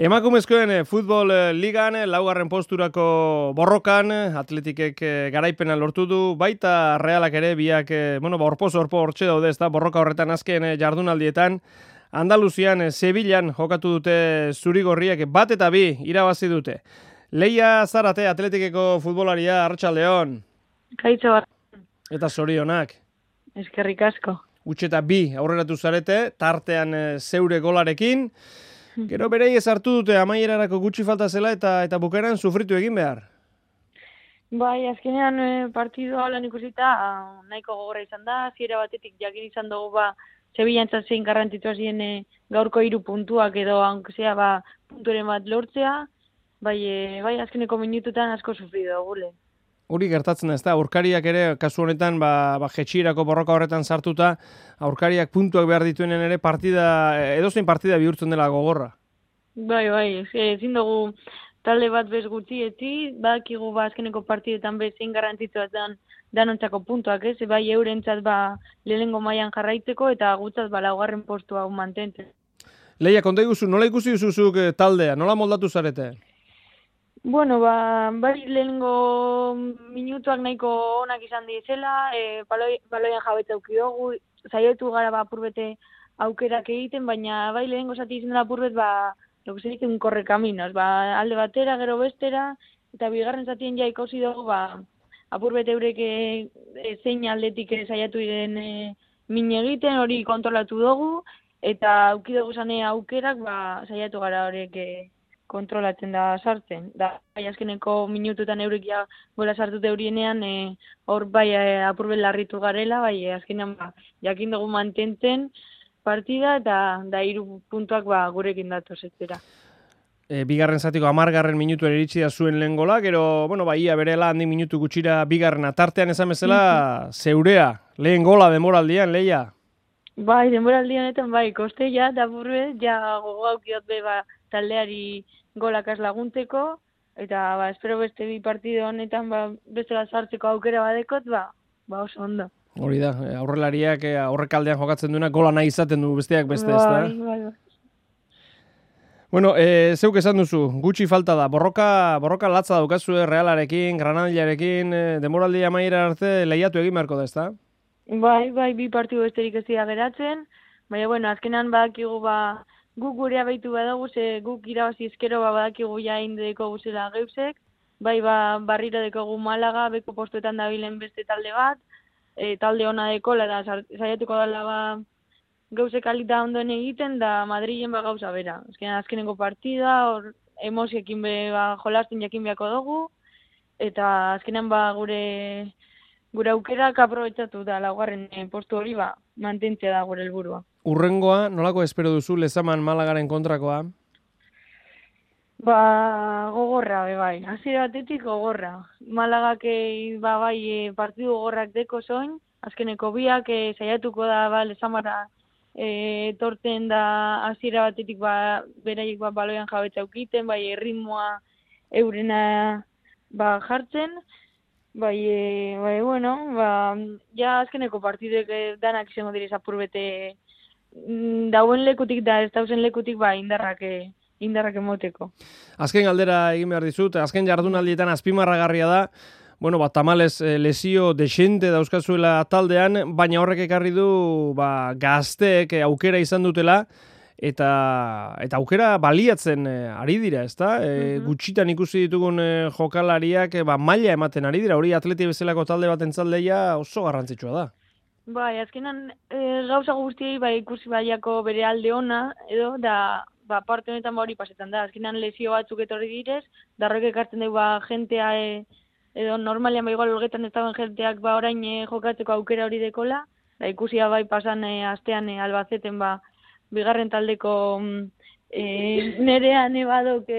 Emakumezkoen futbol ligan, laugarren posturako borrokan, Atletikek garaipena lortu du, baita Realak ere biak, orpo hortxe daude, ez da, borroka horretan azken jardunaldietan, Andaluzian, Sevillan jokatu dute zurigorriak, bat eta bi irabazi dute. Leia Zarate, Atletikeko futbolaria, Arratsaldeon. Kaitzo bat. Eta zorionak. Eskerrik asko. Utxeta bi aurreratu zarete, tartean zeure golarekin. Gero berei hartu dute amaierarako gutxi falta zela eta bukaeran sufritu egin behar. Bai, azkenean partidua lan ikusita nahiko gogorra izan da, hasiera batetik jakin izan dugu Sevillantzat zein garrantzitsua ziren gaurko 3 puntuak edo hankesea punturen bat lortzea, bai azkeneko minututan asko sufritu dugu lehen. Hori gertatzen ez da, aurkariak ere, kasu honetan, jetxirako borroka horretan sartuta, aurkariak puntuak behar dituenen ere edozein partida bihurtzen dela gogorra. Bai, ezin dugu talde bat bez gutxi etzi, badakigu azkeneko partidetan zein garrantzitsua danontzako puntuak, ez? Bai eurentzat lehenengo mailan jarraitzeko eta gutzat laugarren postua mantentzen. Leia, konta iguzu, nola ikusi duzuzuk taldea, nola moldatu zarete? Bueno, bai lehenengo minutuak nahiko onak izan dizela, baloian jabetza auki dugu, saiatu gara apurbete aukerak egiten, baina bai lehenengo zati izan dela apurbet, lo que se dice un correcaminos, alde batera, gero bestera, eta bigarren zatien ja ikusi dugu, apurbet eurek zein aldetik saiatu diren min egiten, hori kontrolatu dugu, eta auki dugu zane aukerak, saiatu gara horiek kontrolatzen da sartzen. Bai azkeneko minututan eurek ja gola sartute eurienean, hor apurbet larritu garela, azkenean jakin dugu mantentzen partida eta 3 puntuak gurekin datoz etxera. Bigarren zatiko 10. minutuan iritsi da zuen lehen gola, gero, ia berela handi minutu gutxira bigarrena tartean esan bezala, zeurea, lehen gola denboraldian, Leia? Bai, denboraldian honetan koste eta apurbet, gogo aukiot taldeari golakaz laguntzeko, eta espero beste bi partido honetan bestela sartzeko aukera badekot, oso ondo. Hori da, aurrelariak aurrekaldean jokatzen duena gola nahi izaten du besteak beste, ez da? Bai. Bueno, zeuk esan duzu, gutxi falta da, borroka latza daukazue Realarekin, Granadillarekin, denboraldia amaiera arte lehiatu egin beharko da, ez da? Bai, bi partidu besterik ez dira geratzen, baina, azkenan badakigu guk gurea behitu badago, guk irabazi ezkero badakigu indeko guzela geusek, barriro dekogu Malaga, beko postuetan dabilen beste talde bat, talde ona dekola, eta saiatuko dela geusek alita ondoen egiten, da Madrilen gauza bera. Azkeneko partida, hor emoziekin jolasten jakin beharko dugu, eta azkenean gure aukerak aprobetxatu da laugarren postu hori mantentzea da gure helburua. Urrengoa, nolako espero duzu Lezaman Malagaren kontrakoa? Gogorra, bai. Hasiera batetik gogorra. Malagak partidu gogorrak deko zoin, azkeneko biak saiatuko da Lezamara torten da hasiera batetik beraiek baloian jabetza aukiten, ritmoa eurena jartzen, ja azkeneko partidek danak izango direz apurbete dauen lekutik da ez dauzen lekutik indarrak emoteko. Azken galdera egin behar dizut, azken jardunaldietan azpimarragarria da, tamalez lesio desente dauzkazuela taldean, baina horrek ekarri du gazteek aukera izan dutela, eta aukera baliatzen ari dira, ezta? Gutxitan ikusi ditugun jokalariak maila ematen ari dira, hori Atleti bezalako talde baten zaldeia oso garrantzitsua da. Azkenan gauza guztiei ikusi baiako bere alde ona, edo da parte honetan hori pasetan da. Azkenan lesio batzuk etorri direz, darroek ekartzen dugu jentea, edo normalian igual olgetan ez dagoen jenteak orain jokatzeko aukera hori dekola, da ikusia pasan astean Albaceten bigarren taldeko nerean badok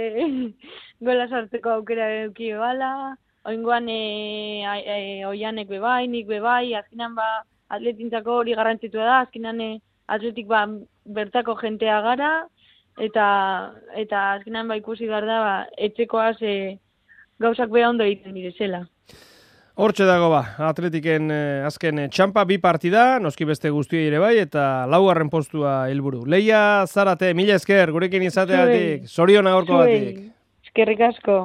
gola sartzeko aukera eduki bala, oingoan oianek nik azkenan atletintzako hori garrantzitsua da, azkenan atletik bertako jentea gara, eta azkenan ikusi behar da etxekoaz gauzak beha ondo egiten direzela. Hortxe dago Atletiken azken txampa 2 partida, noski beste guztioi ere bai, eta 4. postua helburu. Leia Zarate, mila esker, gurekin izateagatik, zoriona gaurko batik. Eskerrik asko.